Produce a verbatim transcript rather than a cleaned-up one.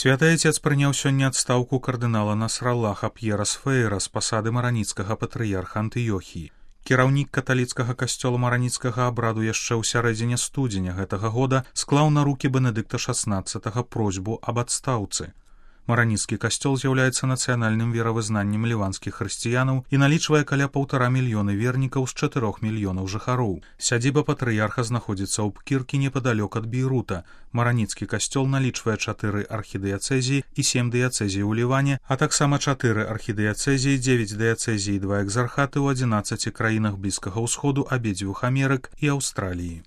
Святы Айцец прыняў сёння адстаўку кардынала Насраллаха П'ера Сфейра з пасады мараніцкага патрыярха Антыёхіі. Кіраўнік каталіцкага касцёла мараніцкага абраду яшчэ ў сярэдзіне студзеня гэтага года склаў на рукі Бенедыкта шаснаццатага просьбу аб адстаўцы. Мараніцкі касцёл з'яўляецца нацыянальным веравызнаннем ліванскіх хрысціянаў і налічвае каля паўтара мільёны вернікаў з чатырох мільёнаў жыхароў. Сядзіба патрыярха знаходзіцца ў Пкіркі непадалёк ад Бейрута. Мараніцкі касцёл налічвае чатыры архідыяцэзіі і сем дыяцэзій у Ліване, а таксама чатыры архідыяцэзіі, дзевяць дыяцэзій і два экзархаты ў адзінаццаці краінах Блізкага ўсходу, абедзвюх Амерык і Аўстраліі.